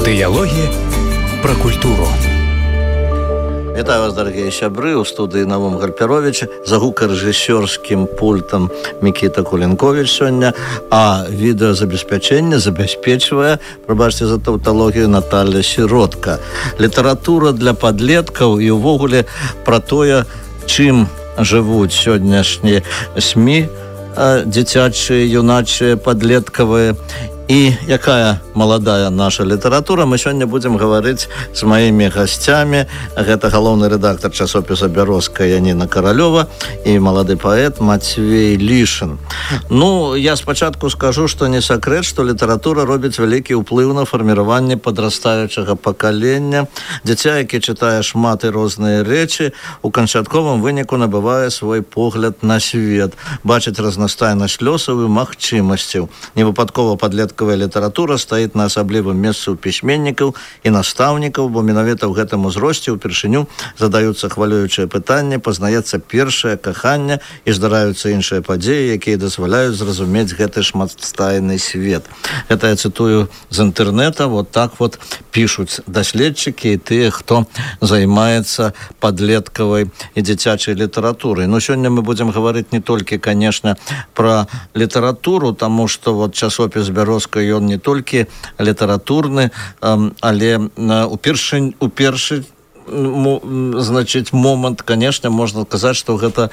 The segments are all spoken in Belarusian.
Дыялогі пра культуру. Вітаю вас, дарагія сябры, у студыі Навум Гарперовича, за гукарэжысёрскім пультам Мікіта Кулінкович сёння, а відэазабеспячэнне забяспечвае, прабачце за таўталогію, Наталья Сіротка. Літаратура для падлеткаў і ўвогуле пра тое, чым жывуць сённяшнія СМІ, дзіцячыя, юначыя, падлеткавыя, і якая маладая наша літаратура. Мы сёння будзем гаварыць з маімі гасцямі. Гэта галоўны рэдактар часопіса «Бярозка» Яніна Каралёва і малады паэт Мацвей Лішын. Ну, я спачатку скажу, што не сакрэт, што літаратура робіць вялікі ўплыў на фарміраванне падрастаючага пакалення. Дзіця, які чытае шмат і розныя рэчы, у канчатковым выніку набывае свой погляд на свет, бачыць разнастайнасць лёсаў і магчымасцяў. Невыпадкова падлеткавая літаратура стаіць на асаблівым месцы ў пісьменнікаў і настаўнікаў, бо менавіта ў гэтым узросце ўпершыню задаюцца хвалюючыя пытанні, пазнаецца першае каханне і здараюцца іншыя падзеі, якія дазваляюць зразумець гэты шматстайны свет. Гэта я цытую з інтэрнэта, вот так вот пішуць даследчыкі і тыя, хто займаецца падлеткавай і дзіцячай літаратурай. Ну, сёння мы будзем гаварыць не толькі, конечно, пра літаратуру, таму што вот часопіс «Бярозка» ён не толькі літаратурны, але у першы значыць момант, конечно, можна сказаць, што гэта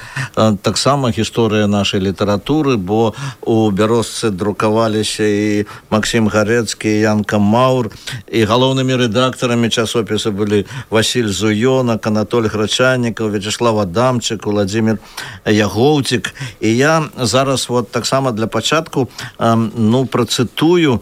таксама гісторыя нашай літаратуры, бо у «Бярозцы» друкаваліся і Максім Гарэцкі, і Янка Маур, і галоўнымі рэдактарамі часопіса былі Васіль Зуёнак, Анатоль Грачанікаў, Вячеслав Адамчык, Владзімір Ягоўцік. І я зараз вот таксама для пачатку працытую,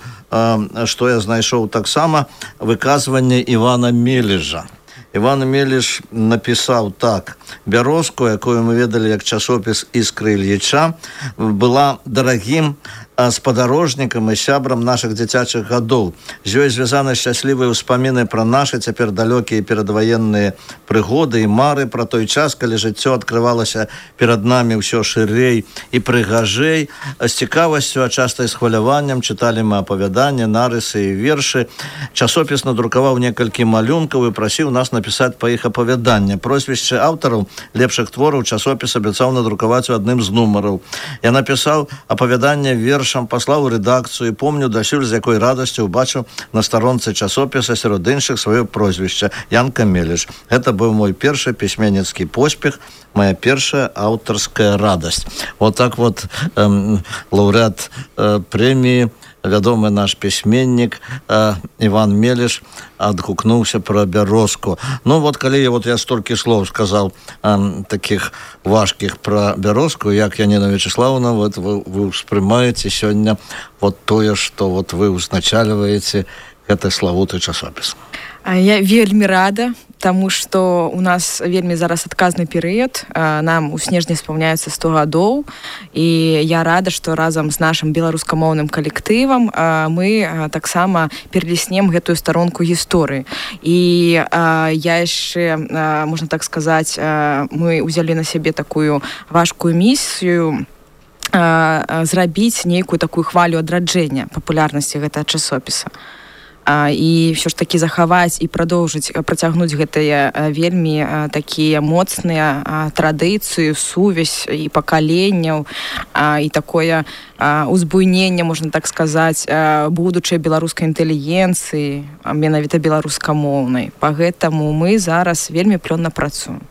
што я знайшоў таксама выказванне Івана Мележа. Іван Мелеш напісаў так: «Бярозку, якую мы ведалі як часопіс «Іскры Ільіча», была дарагім спадарожнікам і сябрам нашых дзіцячых гадоў. З ёй звязаны шчаслівыя ўспаміны пра нашы цяпер далёкія перадваенныя прыгоды і мары пра той час, калі жыццё адкрывалася перад намі ўсё шырэй і прыгажэй. З цікавасцю, а часта і з хваляваннем чыталі мы апавяданні, нарысы і вершы. Часопіс надрукаваў некалькі малюнкаў і прасіў нас напісаць па іх апавяданне. Прозвішчы аўтараў лепшых твораў часопіс абяцаў надрукаваць у адным з нумараў. Я напісаў апавяданне вершам, паслаў у рэдакцыю і помню дасюль, з якой радасцю убачыў на старонцы часопіса сярод іншых сваё прозвішча Янка Мелеш. Гэта быў мой першы пісьменніцкі поспех, моя першая аўтарская радасць. Вот так вот лаўрэат прэміі, вядомы наш пісьменнік Іван Мелеш адгукнуўся пра Бярозку. Ну вот калі я столькі слоў сказаў такіх важкіх пра Бярозку, як Яніна Вячеславовна, вот вы ўспрымаеце сёння вот тое, што вот вы ўзначальваеце гэты славуты часопіс? Я вельмі рада, таму што у нас вельмі зараз адказны перыяд. Нам у снежні спаўняецца 100 гадоў, і я рада, што разам з нашым беларускамоўным калектывам мы таксама пераліснем гэтую старонку гісторыі. І я яшчэ, можна так сказаць, мы ўзялі на сябе такую важкую місію зрабіць нейкую такую хвалю адраджэння папулярнасці гэтага часопіса. І ўсё ж такі захаваць і продолжыць працягнуць гэтыя вельмі такія моцныя традыцыі, сувязь і пакаленняў, і такое узбуйненне, можна так сказаць, будучай беларускай інтэлігенцыі, менавіта беларускамоўнай. Па гэтаму мы зараз вельмі плённа працуем.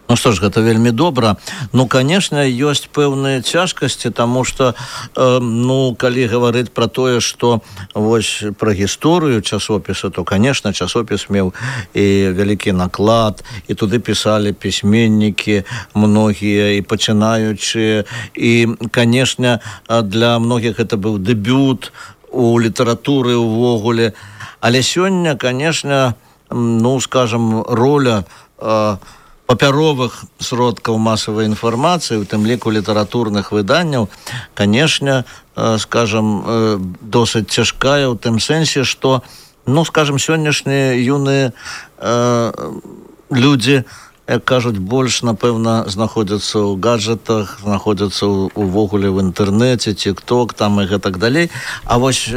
Ну што ж, гэта вельмі добра. Ну, конечно, ёсць пэўныя цяжкасці, таму што, калі гаварыць пра тое, што вось пра гісторыю часопіса, то, конечно, часопіс меў і вялікі наклад, і туды пісалі пісьменнікі многія, і пачынаючыя, і, конечно, для многіх гэта быў дэбют у літаратуры ўвогуле. Але сёння, конечно, скажам, роля папяровых сродкаў масавай інфармацыі, у тым ліку літаратурных выданняў, конечно, скажам, досыць цяжкая ў тым сэнсе, што, скажам, сённяшнія юныя людзі як кажуць, больш, напэўна, знаходзяцца ў гаджетах, знаходзяцца увогуле в інтэрнэце, тик-ток, там і гэтак далей. А вось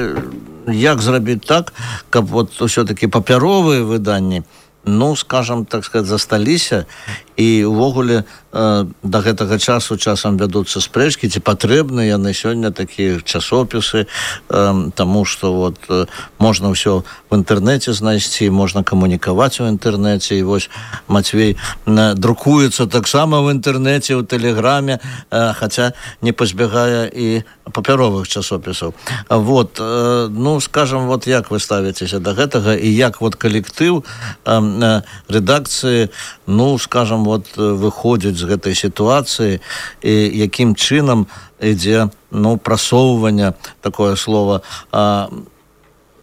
як зрабіць так, каб вот ўсё-таки папяровыя выданні, ну, скажем, так сказать, засталіся, і увогуле да гэтага часу часам вядуцца спрэчкі, ці патрэбны яны сёння такія часопісы, таму што вот можна ўсё в інтэрнэце знайсці, можна камунікаваць у інтэрнэце, і вось Мацвей друкуецца таксама в інтэрнэце, у тэлеграме, хаця не пазбягае і папяровых часопісаў. Вот, ну, скажем, вот як вы ставіцеся да гэтага, і як вот калектыў рэдакцыі, ну, скажем, вот выходзіць з гэтай сітуацыі, і якім чынам ідзе, ну, прасоўванне, такое слово,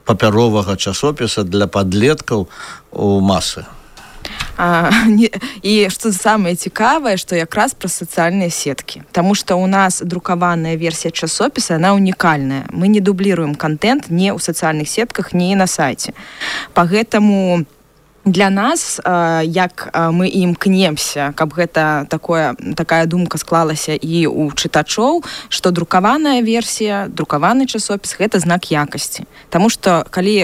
папяровага часопіса для падлеткаў у масы. І што самае цікавае, што якраз пра сацыяльныя сеткі. Таму што ў нас друкаваная версія часопіса, яна унікальная. Мы не дубліруем контент ні ў сацыяльных сетках, ні на сайце. Пагэтаму для нас, як мы імкнемся, каб гэта такая думка склалася і ў чытачоў, што друкаваная версія, друкаваны часопіс — гэта знак якасці. Таму што калі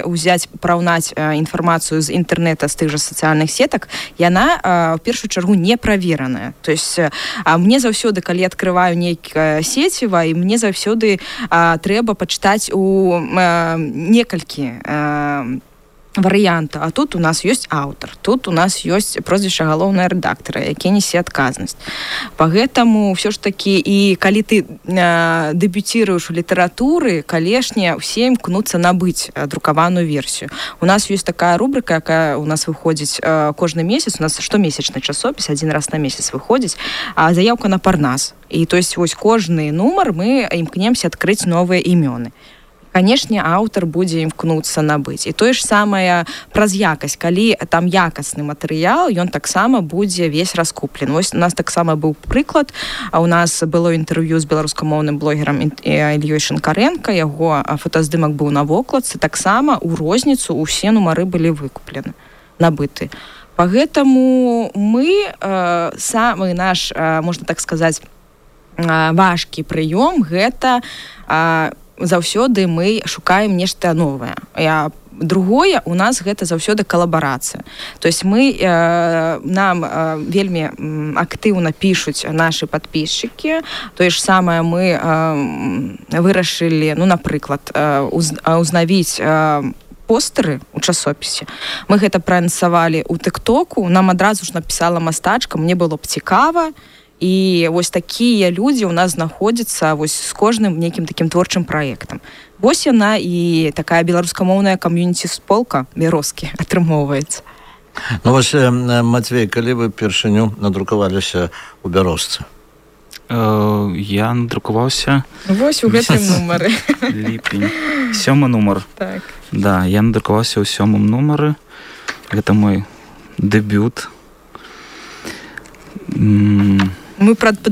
параўнаць інфармацыю з інтэрнэта, з тых жа сацыяльных сетак, яна ў першую чаргу не правераная. То есть мне заўсёды, калі адкрываю нейкае сеціва, і мне заўсёды трэба пачытаць у некалькі варыянта. А тут у нас ёсць аўтар, тут у нас ёсць прозвішча галоўнага рэдактара, які нясе адказнасць. Пагэтаму ўсё ж такі, і калі ты дэбюціруеш у літаратуры, канешне, усе імкнуцца набыць друкаваную версію. У нас ёсць такая рубрика, якая у нас выходзіць кожны месяц, у нас штомесячны часопіс, адзін раз на месяц выходзіць, заяўка на Парнас. І то есть вось кожны нумар мы імкнемся адкрыць новыя імёны. Канешне, аўтар будзе імкнуцца набыць. І тое ж самае праз якасць. Калі там якасны матэрыял, ён таксама будзе весь раскуплен. Вось у нас таксама быў прыклад. У нас было інтэрв'ю з беларускамоўным блогерам Ільёй Шинкаренко. Яго фотаздымак быў на вокладцы. Таксама ў розніцу усе нумары былі выкуплены, набыты. Пагэтаму мы самы наш, можна так сказаць, важкі прыём — гэта заўсёды мы шукаем нешта новае. Другое, у нас гэта заўсёды калабарацыя. То есть нам вельмі актыўна пішуць нашы падпісчыкі. Тое ж самае мы вырашылі, ну, напрыклад, узнавіць постэры ў часопісе. Мы гэта праанансавалі ў тик-току, нам адразу ж напісала мастачка, мне было б цікава. І вось такія людзі ў нас знаходзяцца вось з кожным нейкім такім творчым праектам. Вось яна і такая беларускамоўная кам'юніці-сполка Бярозкі атрымоўваецца. Ну вось, Мацвей, калі вы першыню надрукаваліся ў Бярозцы? Я надрукаваўся... Вось у гэтым нумары. Ліпень. 7 нумар. Так. Да, я надрукаваўся ў 7 нумары. Гэта мой дэбют. Мы пад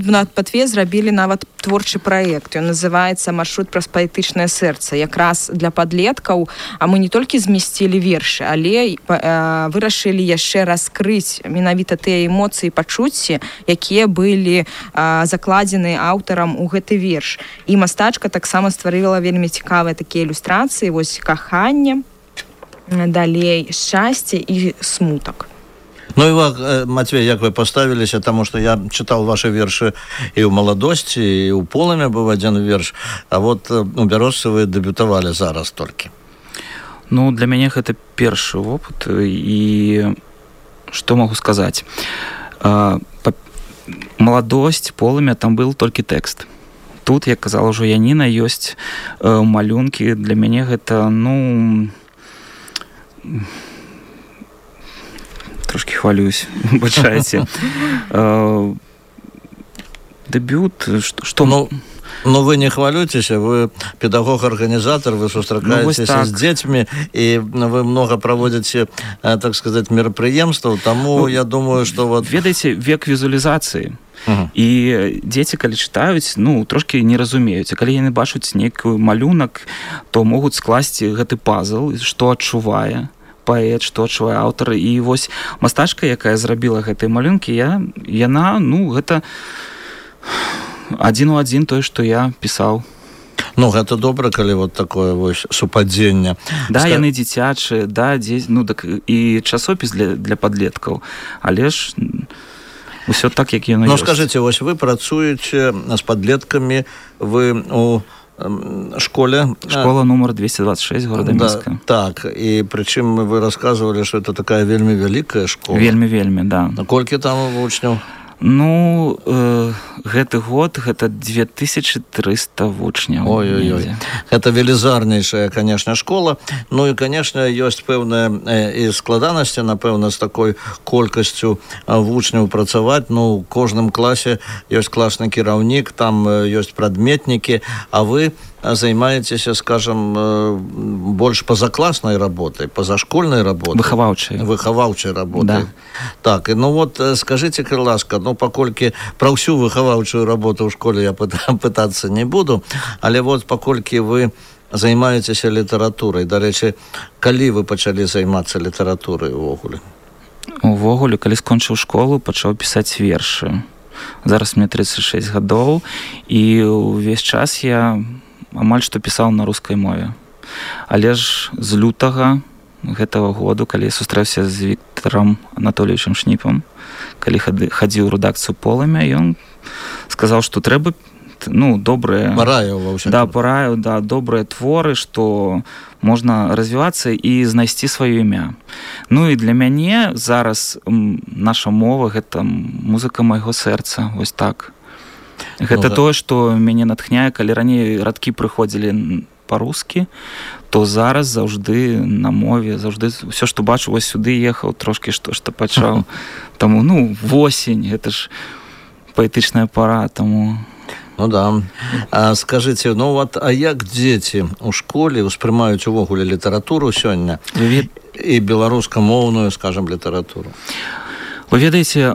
зрабілі нават творчы праект. Ён называецца «Маршрут праз паэтычнае сэрца». Якраз для падлеткаў, а мы не толькі змясцілі вершы, але вырашылі яшчэ раскрыць менавіта тыя эмоцыі і пачуцці, якія былі закладзены аўтарам у гэты верш. І мастачка таксама стварыла вельмі цікавыя такія ілюстрацыі, вось каханне, далей шчасце і смутак. Ну і вас, Мацвей, як вы паставіліся, таму што я чытаў вашы вершы і ў маладосці, і ў полымя быў адзін верш, а вот у Бярозцы вы дэбютавалі зараз толькі. Ну, для мяне гэта першы вопыт, і што магу сказаць? Маладосць, полымя, там быў толькі тэкст. Тут, як казала ўжо Яніна, ёсць малюнкі. Для мяне гэта, ну... Трошки хвалююсь, бачаеце. Дебют, што... Ну, вы не хвалюцеся, вы педагог-арганізатор, вы сустракаецеся з дзецьмі, і вы много праводзіце, так сказаць, мерапрыемстваў, таму я думаю, што... Ведаеце, век візуалізацыі. І дзеці, калі чытаюць, ну, трошки не разумеюць. А калі яны бачаць нейкі малюнак, то могуць скласці гэты пазл, што адчувае паэт, што адчувае аўтар. І вось мастачка, якая зрабіла гэтыя малюнкі, яна, гэта адзін у адзін тое, што я пісаў. Ну, гэта добра, калі вот такое вось супадзенне. Да, яны дзіцячыя, да, так і часопіс для падлеткаў, але ж усё так, як яно ёсць. Ну, скажыце, вось вы працуеце з падлеткамі, вы у школе. Школа нумар 226 горада Мінска. Так, і прычым вы расказвалі, што это такая вельмі вялікая школа. Вельмі, да. Колькі там вучняў? Ну, гэты год гэта 2300 вучняў. Ой-ой-ой. Гэта велізарнейшая, конечно, школа. Ну і, конечно, ёсць пэўныя і складанасці, напэўна, з такой колькасцю вучняў працаваць. Ну, у кожным класе ёсць класны кіраўнік, там ёсць прадметнікі, а вы займаецеся, скажем, больш пазакласнай работай, пазашкольнай работай. Выхаваўчай работай. Да. Так, ну вот, скажыце, калі ласка, паколькі пра ўсю выхаваўчую работу ў школе я пытацца не буду, але вот паколькі вы займаецеся літаратурай, дарэчы, калі вы пачалі займацца літаратурай увогуле? Увогуле, калі скончыў школу, пачаў пісаць вершы. Зараз мне 36 гадоў, і ўвесь час я амаль што пісаў на рускай мове. Але ж з лютага гэтага году, калі я сустрэўся з Віктарам Анатольевичем Шніпам, калі хадзіў у рэдакцыю «Полымя», ён сказаў, што трэба добрыя... Параіў, добрыя творы, што можна развівацца і знайсці сваё імя. Ну і для мяне зараз наша мова — гэта музыка майго сэрца, вось так. Гэта тое, што мяне натхняе, калі раней радкі прыходзілі па-рускі, то зараз заўжды на мове, заўжды ўсё, што бачу, вось сюды ехаў, трошкі што пачаў. Таму, восень, гэта ж паэтычная пара, таму... Ну да. Скажыце, а як дзеці ў школе ўспрымаюць увогуле літаратуру сёння і беларускамоўную, скажам, літаратуру? Вы ведаеце,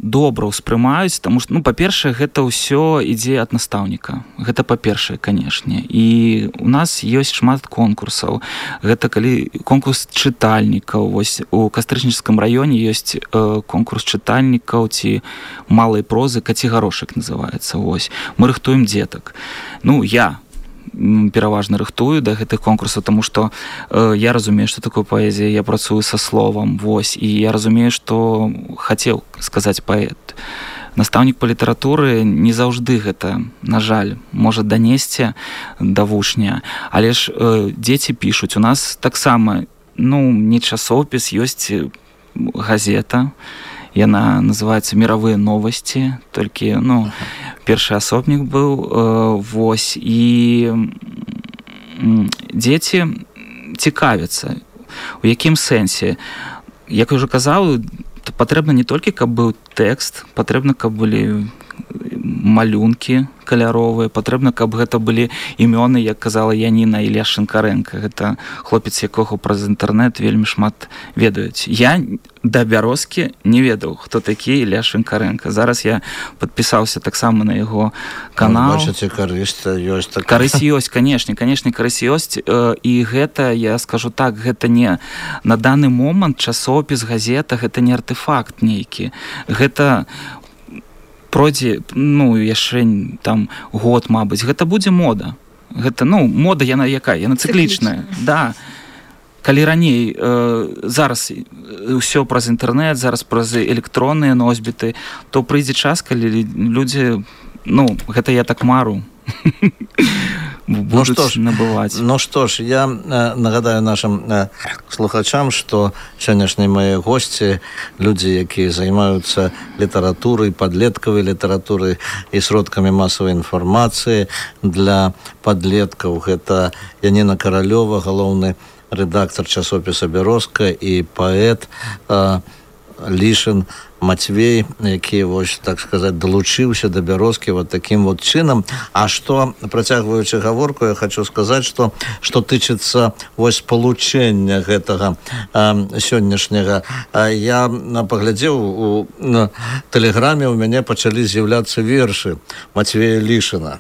добра ўспрымаюць, таму што, па-першае, гэта ўсё ідзе ад настаўніка. Гэта па-першае, канешне. І у нас ёсць шмат конкурсаў. Гэта калі конкурс чытальнікаў. Вось у Кастрычніцкім раёне ёсць конкурс чытальнікаў ці малай прозы, «Каці-гарошак» называецца. Вось. Мы рыхтуем дзетак. Я пераважна рыхтую да гэтых конкурсаў, таму што я разумею, што такое паэзія, я працую са словам, вось, і я разумею, што хацеў сказаць паэт. Настаўнік па літаратуры не заўжды гэта, на жаль, можа данесці да вучня, але ж дзеці пішуць. У нас таксама, не часопіс, ёсць газета, яна называецца «Мировые новости», толькі, першы асобнік быў, вось, і дзеці цікавяцца. У якім сэнсе? Як я ўжо казаў, патрэбна не толькі, каб быў тэкст, патрэбна, каб былі малюнкі каляровыя, патрэбна, каб гэта былі імёны, як казала Яніна, Ілля Шинкаренко. Гэта хлопец, якога праз інтэрнэт вельмі шмат ведаюць. Я да бярозкі не ведаў, хто такі Ілля Шинкаренко. Зараз я падпісаўся таксама на яго канал. Бачыце, карысць ёсць. Карысць ёсць, канешне, карысць ёсць. І гэта, я скажу так, гэта не на даны момант часопіс, газета, гэта не артефакт нейкі. Гэта пройдзе, яшчэ там год, мабыць, гэта будзе мода. Гэта, мода, яна якая? Яна цыклічная. Да. Калі раней, зараз ўсё праз інтэрнэт, зараз праз электронныя носьбіты, то прыйдзе час, калі людзі, гэта я так мару, будуць набываць. Што ж, я нагадаю нашим слухачам, што сённяшнія мае госці, людзі, якія займаюцца літаратурай, падлеткавай літаратурай і сродкамі масавай інфармацыі для падлеткаў. Гэта Яніна Каралёва, галоўны рэдактар часопіса «Бярозка», і паэт Лішын Мацвей, які, вось, так сказаць, далучыўся да Бярозкі вот таким вот чынам. А што, працягваючы гаворку, я хочу сказаць, што тычыцца вось спалучэння гэтага сённяшняга. Я паглядзеў у тэлеграме, у мяне пачалі з'яўляцца вершы Мацвея Лішына.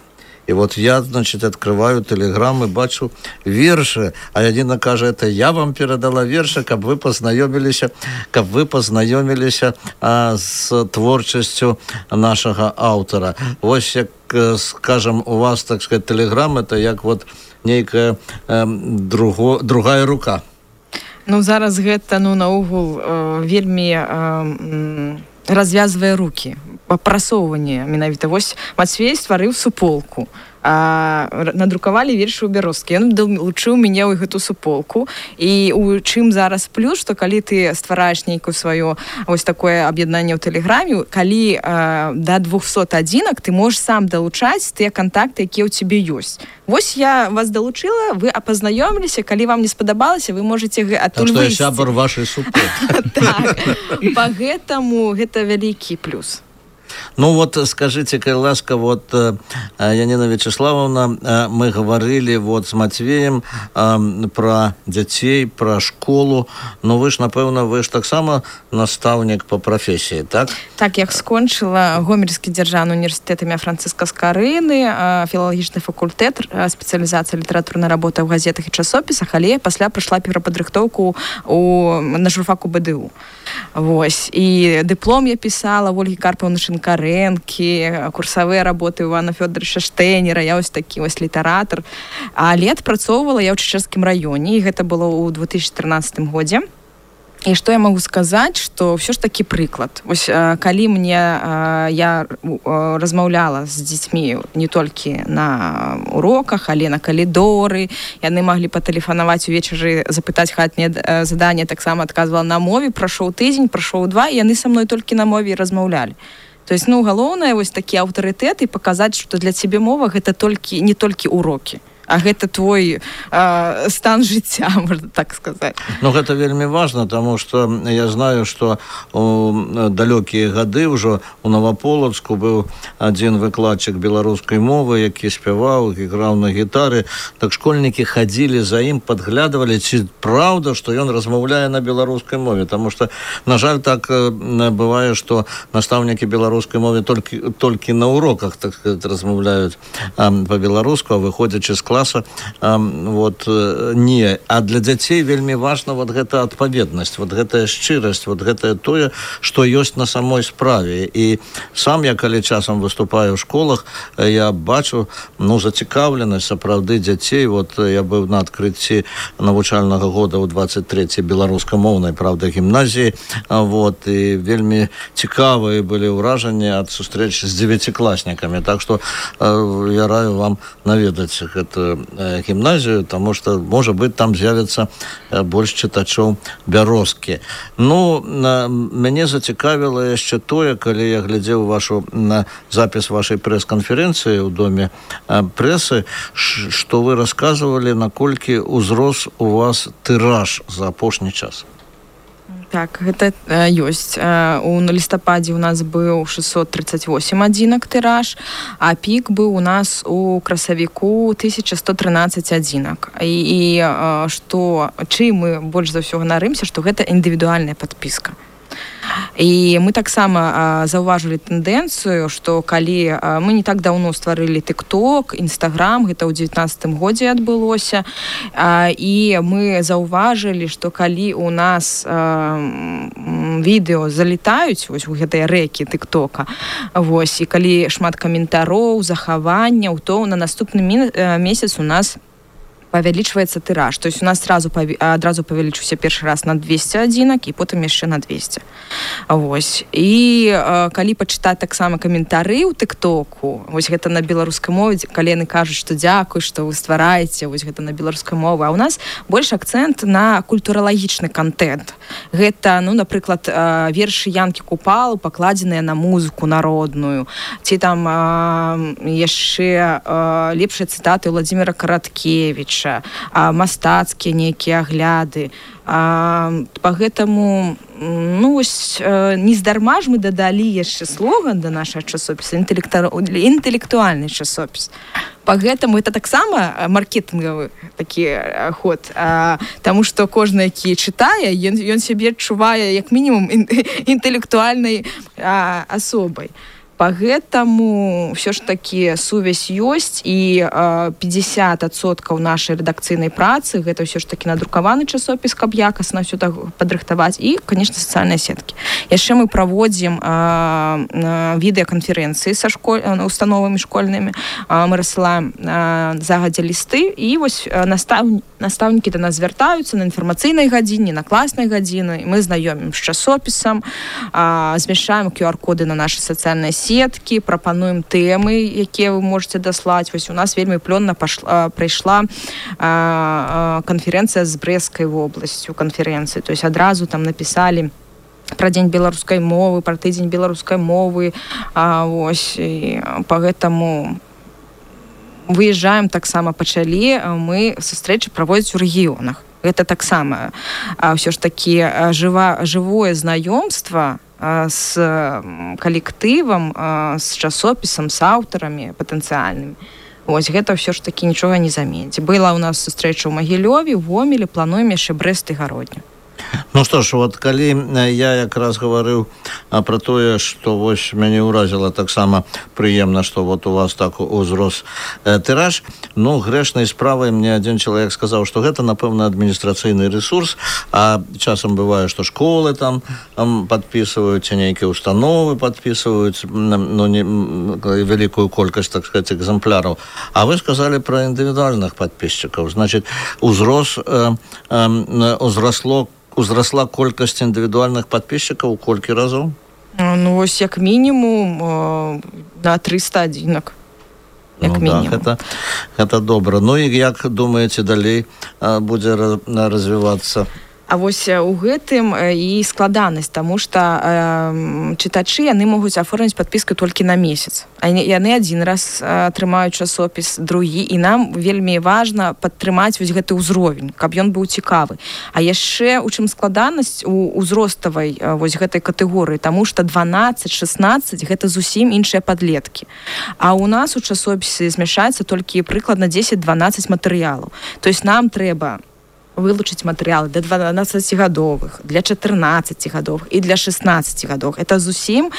И вот я, значит, открываю телеграм и бачу верши, а Яніна кажа, это я вам передала верши, каб вы познайомились с творчестью нашего автора. Вось, як, скажем, у вас, так сказать, телеграм, это як вот нейкая другая рука. Ну, зараз гэта, наогул, вельмі развязвае рукі, прасоўванне менавіта. Вось Мацвей стварыў суполку, надрукавалі вершы ў Бярозкі. Ён далучыў мяне ў гэту суполку. І у чым зараз плюс, што калі ты ствараеш нейкую сваё вось такое аб'яднанне ў тэлеграме, калі да 200 адзінак ты можаш сам далучаць тыя кантакты, якія ў цябе ёсць. Вось я вас далучыла, вы пазнаёміліся, калі вам не спадабалася, вы можаце адтуль выйсці. Так што я сябар вашай суполкі. Так, па-гэтаму гэта вялікі плюс. Ну вот скажите, коль ласка, вот Янина Вячеславовна, мы говорили вот с Матвеем про детей, про школу, но вы ж, напевно, вы ж так само наставник по профессии, так? Так, я скончила Гомельский державный университет имя Франциска Скарыны, филологичный факультет, специализация литературной работы в газетах и часописах, але пасля пройшла перападрыхтоўку на журфаку БДУ. Вось. І диплом я писала в Ольги Карповны Шинкаренки, курсовые работы Ивана Федоровича Штейнера, я ось такі ось літаратор. А лет працоўвала я ў Чечерскім раёне, і гэта было ў 2013 годзе. І што я магу сказаць, што ўсё ж такі прыклад. Вось калі я размаўляла з дзецьмі не толькі на уроках, але на калідоры, яны маглі патэлефанаваць увечары, запытаць хатняе заданне, таксама адказвала на мове, прайшоў тыдзень, прайшоў 2, і яны са мной толькі на мове размаўлялі. То есть, галоўнае вось такі аўтарытэт і паказаць, што для цябе мова гэта не толькі урокі, а гэта твой стан жыцця, можна так сказаць. Ну, гэта вельмі важна, таму што я знаю, што у далёкія гады ўжо у Новаполацку быў адзін выкладчык беларускай мовы, які спяваў, іграў на гітары. Так школьнікі хадзілі за ім, падглядывалі, ці праўда, што ён размаўляе на беларускай мове. Таму што, на жаль, так бывае, што настаўнікі беларускай мовы толькі на уроках, так сказать, размаўляюць па-беларуску, а выходзячы з класа, вот, не. А для дзяцей вельмі важна вот гэта адпаведнасць, вот гэтая шчырасць, вот гэтае тое, што ёсць на самой справе. І сам я, калі часам выступаю ў школах, я бачу, зацікаўленасць сапраўды дзяцей. Вот я быў на адкрыцці навучальнага года ў 23-й беларускамоўнай, правда, гімназіі, вот, і вельмі цікавыя былі ўражанні ад сустрэч з 9-класнікамі. Так што я раю вам наведаць гэтую гімназію, таму што, можа быць, там з'явіцца больш чытачоў Бярозкі. Ну, мяне зацікавіла яшчэ тое, калі я глядзеў запіс вашай прэс-канферэнцыі ў доме прэсы, што вы расказвалі, наколькі узрос у вас тыраж за апошні час. Так, гэта ёсць. У лістападзе у нас быў 638 адзінак тыраж, а пік быў у нас у красавіку 1113 адзінак. І чым мы больш за ўсё ганарымся, што гэта індывідуальная падпіска. І мы таксама заўважылі тэндэнцыю, што калі мы не так даўно стварылі TikTok, Instagram, гэта ў 19 годзе адбылося, і мы заўважылі, што калі у нас відэо залетаюць вось у гэтыя рэкі TikTok, вось, і калі шмат каментароў, захаванняў, то на наступны месяц у нас павялічваецца тыраж. То есть у нас адразу павялічыўся першы раз на 200 адзінак і потым яшчэ на 200. Вось. І калі пачытаць таксама каментары ў TikTok, вось гэта на беларускай мове, калі яны кажуць, што дзякуй, што вы ствараеце, вось гэта на беларускай мове, а ў нас больш акцэнт на культуралагічны контент. Гэта, напрыклад, вершы Янкі Купалу, пакладзеныя на музыку народную, ці там яшчэ лепшыя цытаты Владзіміра Караткевіча, мастацкія нейкія агляды. Па-гэтаму, нездарма ж мы дадалі яшчэ слоган да нашага часопіса, інтэлектуальны часопіс. Па-гэтаму, гэта таксама маркетынгавы такі ход, таму што кожны, які чытае, ён сябе адчувае як мінімум інтэлектуальнай асобай. Поэтому все ж таки сувязь ёсць, і 50% нашай рэдакцыйнай працы гэта ўсё ж таки надрукаваны часопіс, каб якасна ўсё так падрыхтаваць, і, конечно, сацыяльныя сеткі. Яшчэ мы праводзім відэаканферэнцыі са установамі школьнымі, мы рассылаем загадзя лісты, і вось настаўнікі да нас звяртаюцца на інфармацыйнай гадзіне, на класнай гадзіны, мы знаёмім з часопісам, змяшчаем QR-коды на нашы сацыяльныя сеткі, прапануем тэмы, якія вы можете даслаць. Вось у нас вельмі плённа прайшла канферэнцыя з Брэсцкай вобласцю, канферэнцыі. То есть адразу там напісалі пра дзень беларускай мовы, пра тыдзень беларускай мовы. Вось, і па гэтаму выязджаем, таксама пачалі мы сустрэчы праводзіць у рэгіёнах. Гэта таксама ўсё ж такі жывое знаёмства з калектывам, з часопісам, з аўтарамі патэнцыяльнымі. Вось гэта ўсё ж такі нічога не заменіць. Была ў нас сустрэча ў Магілёве, ў Гомелі, плануем яшчэ Брэст і Гародню. Ну што ж, вот калі я якраз гаварыў пра тое, што вось мяне ўразіла таксама прыемна, што вот у вас так узрос тыраж, ну, грэшнай справай мне адзін чалавек сказаў, што гэта, напэўна, адміністрацыйны ресурс, а часам бывае, што школы там падпісваюць, нейкія установы падпісваюць, ну, вялікую колькасць, так сказаць, экземпляраў. А вы сказалі пра індывідуальных падпісчыкаў. Значыць, узрасла колькасць індывідуальных падпісчыкаў у колькі разоў? Ну, вось як мінімум на 300 адзінак. Як мінімум. Так, гэта добра. Ну і як думаеце, далей будзе развівацца? А вось у гэтым і складанасць, таму што чытачы, яны могуць аформіць падпіску толькі на месяц. Яны адзін раз атрымаюць часопіс, другі, і нам вельмі важна падтрымаць вось гэты ўзровень, каб ён быў цікавы. А яшчэ у чым складанасць у ўзроставай вось гэтай катэгорыі, таму што 12-16 гэта зусім іншыя падлеткі. А у нас у часопісе змяшаецца толькі прыкладна 10-12 матэрыялаў. То есть нам трэба вылучыць матэрыялы для 12-гадовых, для 14-гадовых і для 16-гадовых. Это зусім,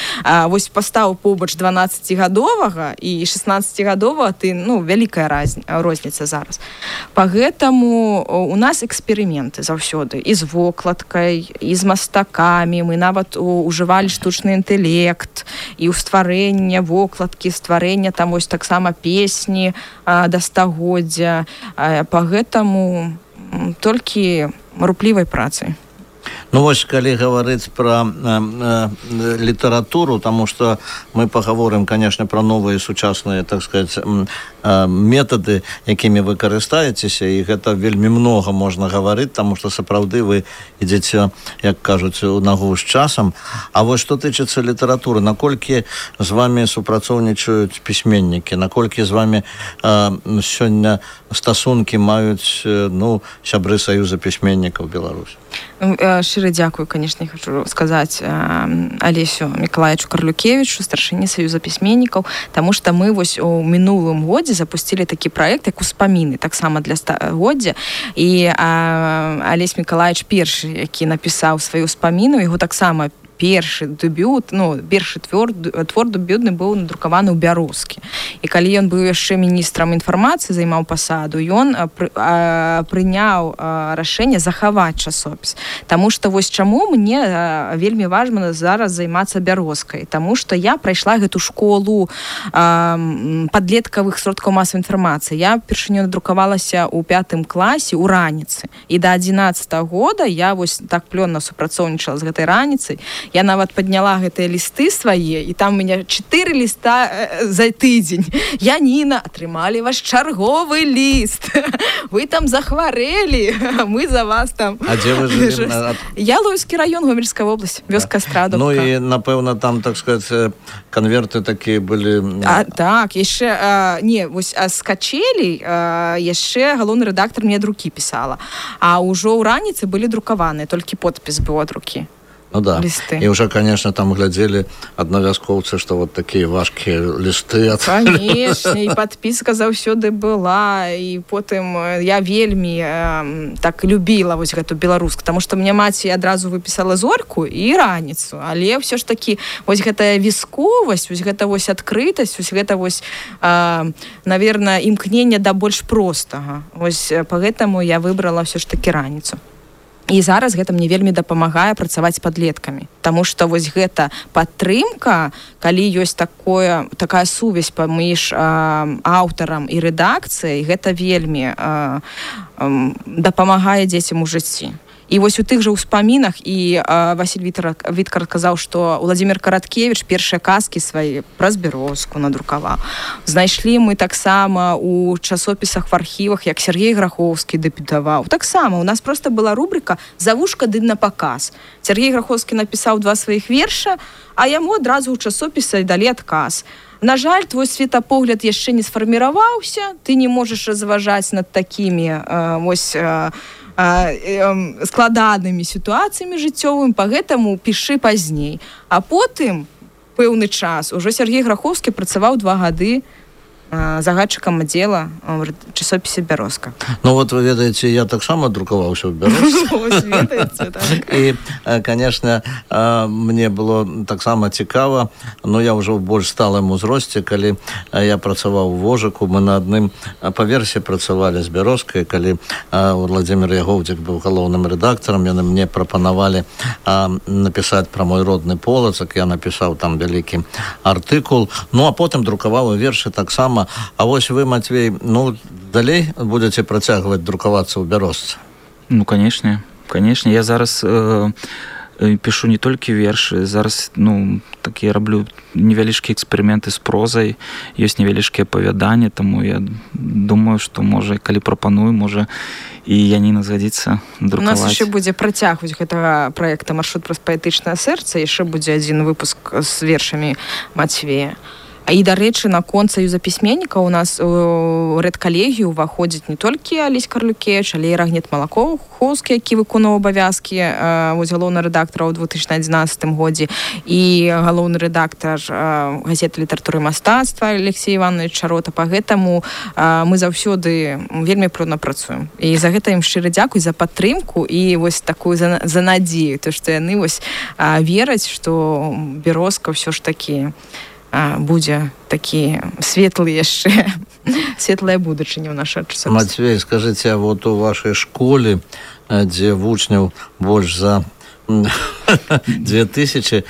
вось пастаў побач 12-гадовага і 16-гадовага, ты, ну, вялікая розніца зараз. Пагэтаму у нас эксперыменты заўсёды і з вокладкай, і з мастакамі. Мы нават ужывалі штучны інтэлект і ў стварэння вокладкі, стварэння там вось таксама песні да стагоддзя. Пагэтаму толькі руплівай працай. Ну вось, калі гаварыць пра літаратуру, таму што мы пагаворым, канешне, пра новыя сучасныя, так сказаць, метады, якімі вы карыстаецеся, і гэта вельмі многа можна гаварыць, таму што сапраўды вы ідзеце, як кажуць, у нагу з часам. А вось што тычыцца літаратуры, наколькі з вамі супрацоўнічаюць пісьменнікі, наколькі з вамі сёння стасункі маюць, ну, сябры Саюза пісьменнікаў Беларусі? Шчыра дзякую, канешне, хочу сказаць Алесю Мікалаевичу Карлюкевічу, старшыні Саюза пісьменнікаў, таму што мы вось у мінулым годзе запусцілі такі праект, як успаміны, таксама для стагоддзя, і Алесь Мікалаевич першы, які напісаў сваю успаміну, яго таксама першы дэбют, ну, першы твор дэбютны быў надрукаваны ў Бярозкі. І калі ён быў яшчэ міністрам інфармацыі, займаў пасаду, ён прыняў рашэнне захаваць часопіс. Таму што вось чаму мне вельмі важна зараз займацца Бярозкай. Таму што я прайшла гэту школу падлеткавых сродкаў масавай інфармацыі. Я першыню надрукавалася ў 5 класе ў раніцы. І да 11 года я вось так плённа супрацоўнічала з гэтай раніцай. Я нават падняла гэтыя лісты свае, і там у мяне 4 ліста за тыдзень. Яніна, атрымалі ваш чарговы ліст. Вы там захварэлі, мы за вас там. А дзе вы жылі? Ялоўскі раён, Гомельская вобласць, вёска Страдовка. Ну і, напэўна, там, так сказаць, канверты такія былі... Так, яшчэ, не, вось з Качелей яшчэ галоўны рэдактар мне ад рукі пісала. А ўжо ў раніцы былі друкаваныя, толькі подпіс быў ад рукі. Ну да. листы. И уже, конечно, там глядели одновязковцы, что вот такие важкие листы. Конечно, и подписка заўсёды была, и потым я вельмі так любила вось гэту беларуску, потому что мне маці адразу выпісала зорку і раніцу, але все ж таки вось гэтая вісковасць, вось гэта вось адкрытасць, вось гэта вось, наверное, імкненне да больш простага. Вось поэтому я выбрала все ж таки раніцу. І зараз гэта мне вельмі дапамагае працаваць з падлеткамі, таму што вось гэта падтрымка, калі ёсць такая сувязь паміж аўтарам і рэдакцыяй, гэта вельмі дапамагае дзецям у жыцці. І вось у тых жа ўспамінах і Васіль Віткар казаў, што Владзімір Караткевіч першыя казкі свае праз Бярозку надрукаваў. Знайшлі мы таксама у часопісах в архівах, як Сергей Грахоўскі дэбютаваў. Таксама у нас проста была рубрика «Завушка ды на паказ». Сергей Грахоўскі напісаў 2 сваіх верша, а яму адразу ў часопісы далі адказ. На жаль, твой светапогляд яшчэ не сфарміраваўся, ты не можаш разважаць над такімі складанымі сітуацыямі жыццёвымі, пагэтаму пішы пазней. А потым, пэўны час, ужо Сергей Грахоўскі працаваў 2 гады загадчыкам аддзела ў часопісе «Бярозка». Ну вот, вы ведаеце, я таксама друкаваўся ў Бярозцы. І, конечно, мне было таксама цікава, но я ўжо ў больш сталым узросце, калі я працаваў у Вожыку, мы на адным паверсе працавалі з Бярозкай, калі Владзімір Ягоўдзік быў галоўным рэдактарам, яны мне прапанавалі напісаць пра мой родны Полацак, я напісаў там вялікі артыкул, ну а потым друкаваў вершы таксама. А вось вы, Матвей, ну, далей будете працягваць друкавацца ў Бярозцы? Ну, конечно. Я зараз пишу не толькі вершы, зараз, такія раблю невялічкія эксперыменты з прозай, ёсць невялічкія апавяданні, таму я думаю, што, можа, калі прапаную, можа, і Яніна згадзіцца друкаваць. У нас яшчэ будзе працяг гэтага праекта «Маршрут праз паэтычнае сэрца», яшчэ будзе адзін выпуск з вершамі Матвея. І, дарэчы, наконт Саюза пісьменнікаў у нас у рэдкалегію ўваходзіць не толькі Алесь Карлюкевіч, але і Рагнет Малахоўскі, які выконаў абавязкі галоўны рэдактара ў 2011 годзе, і галоўны рэдактар газеты літаратуры і мастацтва Алексей Іванович Чарота. Пагэтаму мы заўсёды вельмі плённа працуем. І за гэта ім шчыра дзякуй за падтрымку і вось такую за надзею, то што яны вось вераць, што Бярозка ўсё ж такі будзе такі светлы яшчэ, светлая будучыня ў нашай часопісе. Матвей, скажыце, а вот у вашай школе, дзе вучняў больш за 2000,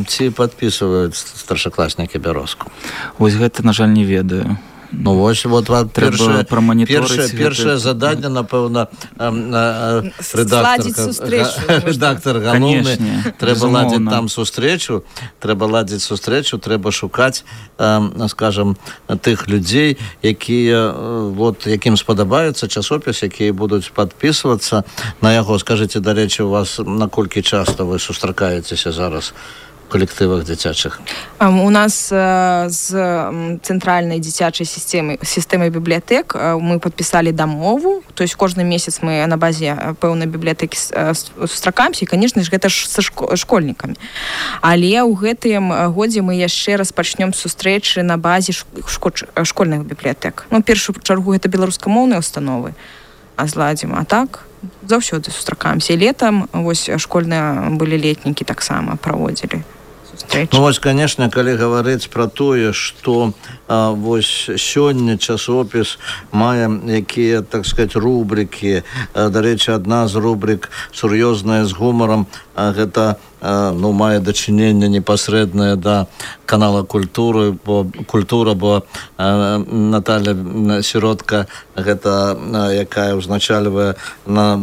ці падпісваюць старшакласнікі Бярозку? Вось гэта, на жаль, не ведаю. Ну, вось, першае заданне, напэўна, рэдактар галоўны, трэба ладзіць там сустрэчу, трэба шукаць, скажам, тых людзей, якія, якім спадабаецца часопіс, якія будуць падпісвацца на яго. Скажыце, дарэчы, у вас наколькі часта вы сустракаецеся зараз коллективах дзіцячых? У нас з цэнтральнай дзіцячай сістэмай бібліятэк мы падпісалі дамову, то есть кожны месяц мы на базе пэўнай бібліятэкі сустракаемся, і, конечно ж, гэта ж са школьнікамі. Але ў гэтым годзе мы яшчэ распачнём сустрэчы на базе школьных бібліятэк. Ну, першую чаргу гэта беларускамоўныя установы зладзім, а так заўсёды сустракаемся. І летам вось школьныя былі летнікі таксама праводзілі. Ну, вось, конечно, калі гаварыць пра тое, што вось сёння часопіс мае якія, так сказать, рубрыкі. Дарэчы, адна з рубрык сур'ёзная з гумарам, гэта мае дачыненне непасрэднае да канала культура, бо Наталья Сіротка, гэта якая ўзначальвае на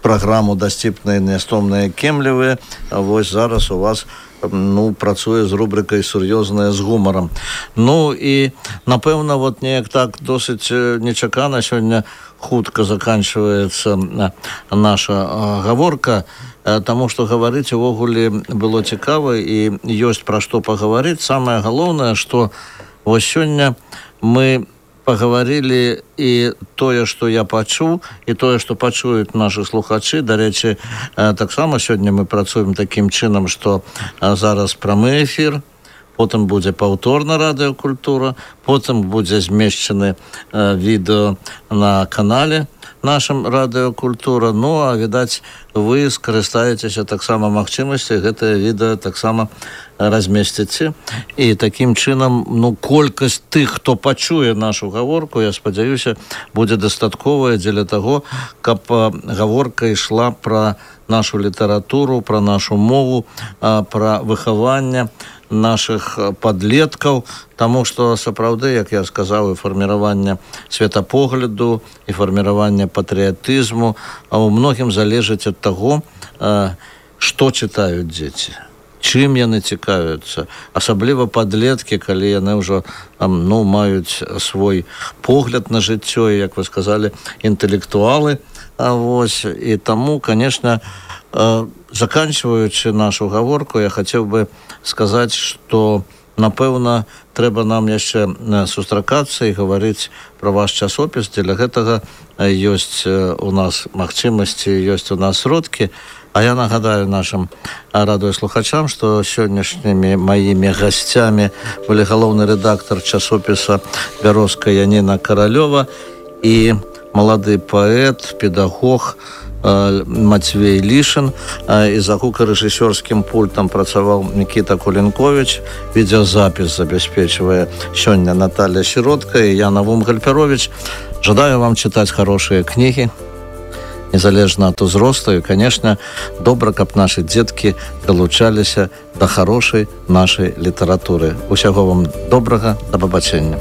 праграму «Дасціпныя нястомныя кемлівыя». Вось зараз у вас працуе з рубрыкай «Сур'ёзная з гумарам». Ну і, напэўна, неяк так досыць нечакана сёння хутка заканчваецца наша гаворка, таму што гаварыць увогуле было цікава і ёсць пра што пагаварыць. Самае галоўнае, што вось сёння мы паговорили і тое, што я пачуў, і тое, што пачуюць нашы слухачы. Дарэчы, таксама сёння мы працуем такім чынам, што зараз прамы эфір, потым будзе паўторна радыёкультура, потым будзе змешчаны відэо на канале нашым радыёкультура. Ну, а, відаць, вы скарыстаецеся таксама магчымасцю, гэтае відэо таксама размесціце. І такім чынам, ну, колькасць тых, хто пачуе нашу гаворку, я спадзяюся, будзе дастатковая дзеля таго, каб гаворка ішла пра нашу літаратуру, пра нашу мову, пра выхаванне наших падлеткаў, таму што сапраўды, як я сказаў, і фарміраванне светапогляду, і фарміраванне патрыятызму, а ў многім залежыць ад таго, што чытаюць дзеці, чым яны цікавяцца, асабліва падлеткі, калі яны ўжо маюць свой погляд на жыццё, і, як вы сказалі, інтэлектуалы. Вось, і таму, конечно, заканчиваючы нашу гаворку, я хацеў бы сказаць, што, напэўна, трэба нам яшчэ сустракацца і гаварыць пра ваш часопіс. Дзеля гэтага ёсць у нас магчымасці, ёсць у нас сродкі. А я нагадаю нашим радыёслухачам, што сённяшнімі маімі гасцямі былі галоўны рэдактар часопіса «Бярозка» Яніна Каралёва і малады паэт, педагог Матвей Лішин, і за гукарэжысёрскім пультам працаваў Мікіта Кулінковіч. Відеозапіс забяспечвае сёння Наталья Сіротка і я, Навум Гальперович. Жадаю вам чытаць хорошыя кнігі, незалежна ад узросту, і, конечно, добра, каб нашы дзеткі далучаліся да хорошай нашай літаратуры. Усяго вам добрага, да пабачэння.